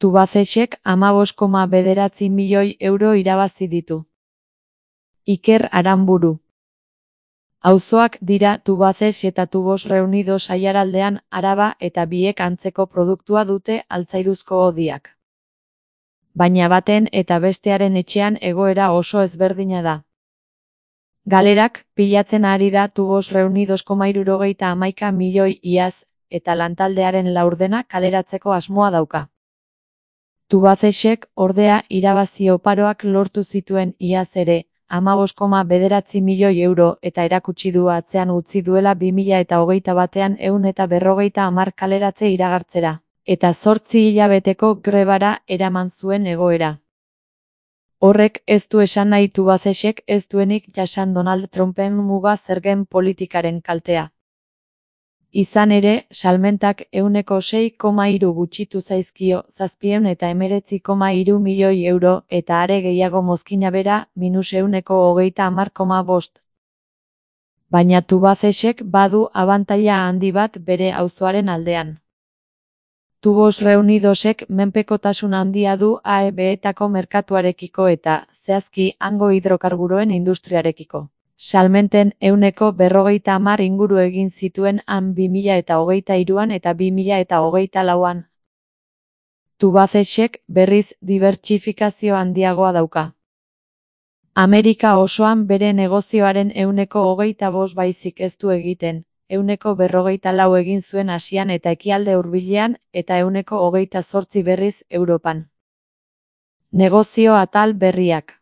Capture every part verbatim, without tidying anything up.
Tubacexek hamabost koma bederatzi milioi euro irabazi ditu. Iker Aranburu. Auzoak dira Tubacex eta Tubos Reunidos Aiaraldean, Araba eta biek antzeko produktua dute altzairuzko hodiak. Baina baten eta bestearen etxean egoera oso ezberdina da. Galerak pilatzen ari da Tubos Reunidos koma hirurogeita hamaika milioi iaz, eta lantaldearen laurdena kaleratzeko asmoa dauka. Tubacexek ordea irabazi oparoak lortu zituen iaz ere, hamabost koma bederatzi milioi euro eta erakutsi du atzean utzi duela bi mila eta hogeita batean ehun eta berrogeita hamar kaleratze iragartzera, eta zortzi hilabeteko grebara eraman zuen egoera. Horrek ez du esan nahi Tubacexek ez duenik jasan Donald Trumpen muga zergen politikaren kaltea. Izan ere, salmentak ehuneko sei koma hiru gutxitu zaizkio zazpiehun eta hemeretzi koma hiru milioi euro eta are gehiago mozkina bera minus ehuneko hogeita hamar koma bost. Baina Tubacexek badu abantaila handi bat bere auzoaren aldean. Tubos Reunidosek menpekotasun handia du A E B-etako merkatuarekiko eta, zehazki, hango hidrokarburoen industriarekiko. Salmenten ehuneko berrogeita hamar inguru egin zituen han bi mila eta hogeita hiruan eta bi mila eta hogeita lauan. Tubacexek berriz dibertsifikazio handiagoa dauka. Amerika osoan bere negozioaren ehuneko hogeita bost baizik ez du egiten, ehuneko berrogeita lau egin zuen Asian eta Ekialde Hurbilean eta ehuneko hogeita zortzi berriz Europan. Negozio atal berriak.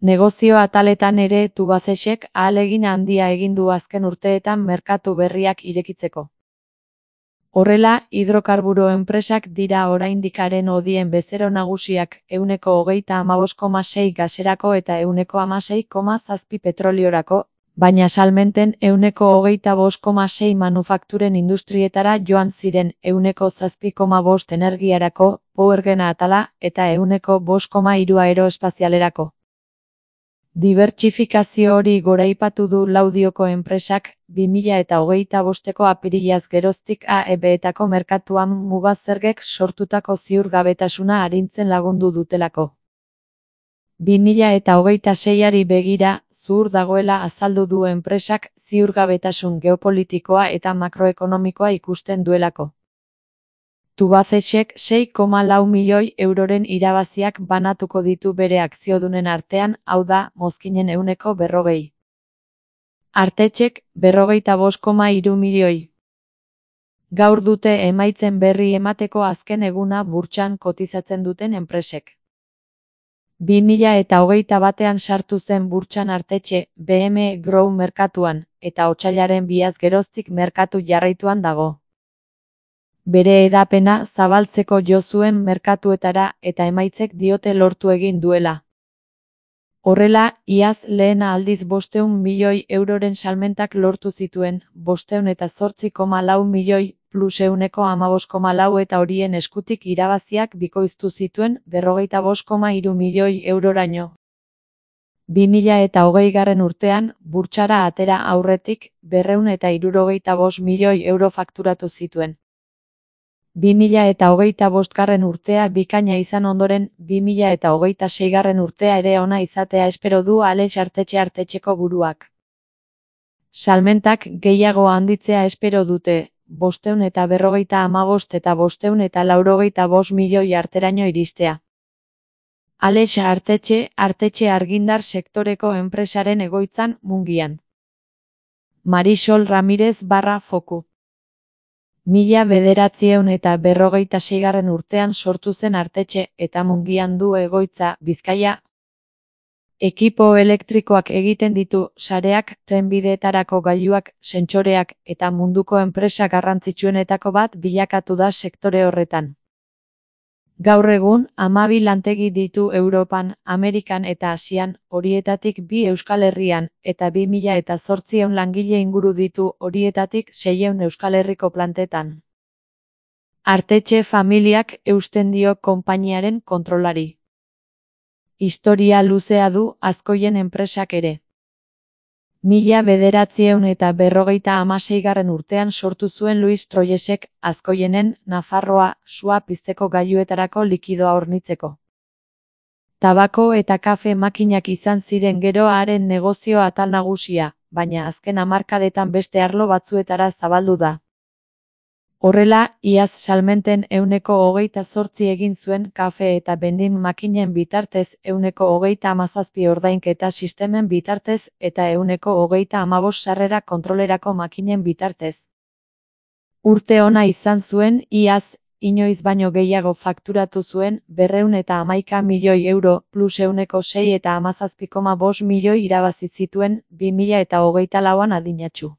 Negozio ataletan ere Tubacexek ahalegin handia egin du azken urteetan merkatu berriak irekitzeko. Horrela, hidrokarburo enpresak dira oraindikaren hodien bezero nagusiak, ehuneko hogeita hamabost koma sei gaserako eta ehuneko hamasei koma zazpi petroliorako, baina salmenten ehuneko hogeita bost koma sei manufakturen industrietara joan ziren ehuneko zazpi koma bost energiarako, powergena atala, eta ehuneko bost koma hiru aeroespazialerako. Dibertsifikazio hori goraipatu du Laudioko enpresak, bi mila eta hogeita bosteko apirilaz geroztik A E B-etako merkatuan muga zergek sortutako ziurgabetasuna arintzen lagundu dutelako. bi mila eta hogeita seiari begira, zuhur dagoela azaldu du enpresak ziurgabetasun geopolitikoa eta makroekonomikoa ikusten duelako. Tubacexek sei koma lau milioi euroren irabaziak banatuko ditu bere akziodunen artean, hau da, mozkinen ehuneko berrogei. Artetxek, berrogeita bost koma hiru milioi. Gaur dute emaitzen berri emateko azken eguna burtsan kotizatzen duten enpresek. bi mila eta hogeita batean sartu zen burtsan Artetxe, B M Grow merkatuan, eta otsailaren biaz geroztik merkatu jarraituan dago. Bere hedapena zabaltzeko jo zuen merkatuetara eta emaitzek diote lortu egin duela. Horrela, iaz lehena aldiz bostehun milioi euroren salmentak lortu zituen, bostehun eta zortzi koma lau milioi plus ehuneko hamabost koma lau eta horien eskutik irabaziak bikoiztu zituen berrogeita bost koma hiru milioi euroraino. bi mila eta hogeigarren urtean, burtsara atera aurretik, berrehun eta hirurogeita bost milioi euro fakturatu zituen. bi mila eta hogeita bostgarren urtea bikaina izan ondoren, bi mila eta hogeita seigarren urtea ere ona izatea espero du Alex Artetxe Artetxeko buruak. Salmentak gehiago handitzea espero dute, bostehun eta berrogeita hamabost eta bostehun eta laurogeita bost milioi arteraino iristea. Alex Artetxe, Artetxe argindar sektoreko enpresaren egoitzan, Mungian. Marisol Ramirez barra foku. Mila bederatziehun eta berrogeita seigarren urtean sortu zen Artetxe eta Mungian du egoitza, Bizkaia. Ekipo elektrikoak egiten ditu, sareak, trenbideetarako gailuak, sentsoreak, eta munduko enpresa garrantzitsuenetako bat bilakatu da sektore horretan. Gaur egun, hamabi lantegi ditu Europan, Amerikan eta Asian, horietatik bi Euskal Herrian, eta bi mila eta zortziehun langile inguru ditu horietatik seiehun Euskal Herriko plantetan. Artetxe familiak eusten dio konpainiaren kontrolari. Historia luzea du Azkoien enpresak ere. Mila bederatziehun eta berrogeita hamaseigarren urtean sortu zuen Luis Troyesek, Azkoienen, Nafarroa, sua pizteko gailuetarako likidoa hornitzeko. Tabako eta kafe makinak izan ziren gero haren negozio atal nagusia, baina azken hamarkadetan beste arlo batzuetara zabaldu da. Horrela, iaz salmenten ehuneko hogeita zortzi egin zuen kafe eta bendin makinen bitartez, ehuneko hogeita hamazazpi ordainketa sistemen bitartez eta ehuneko hogeita hamabost sarrera kontrolerako makinen bitartez. Urte ona izan zuen, iaz, inoiz baino gehiago fakturatu zuen, berrehun eta hamaika milioi euro, plus ehuneko sei eta hamazazpi koma bost milioi irabazi zituen, bi mila eta hogeita lauan adinatsu.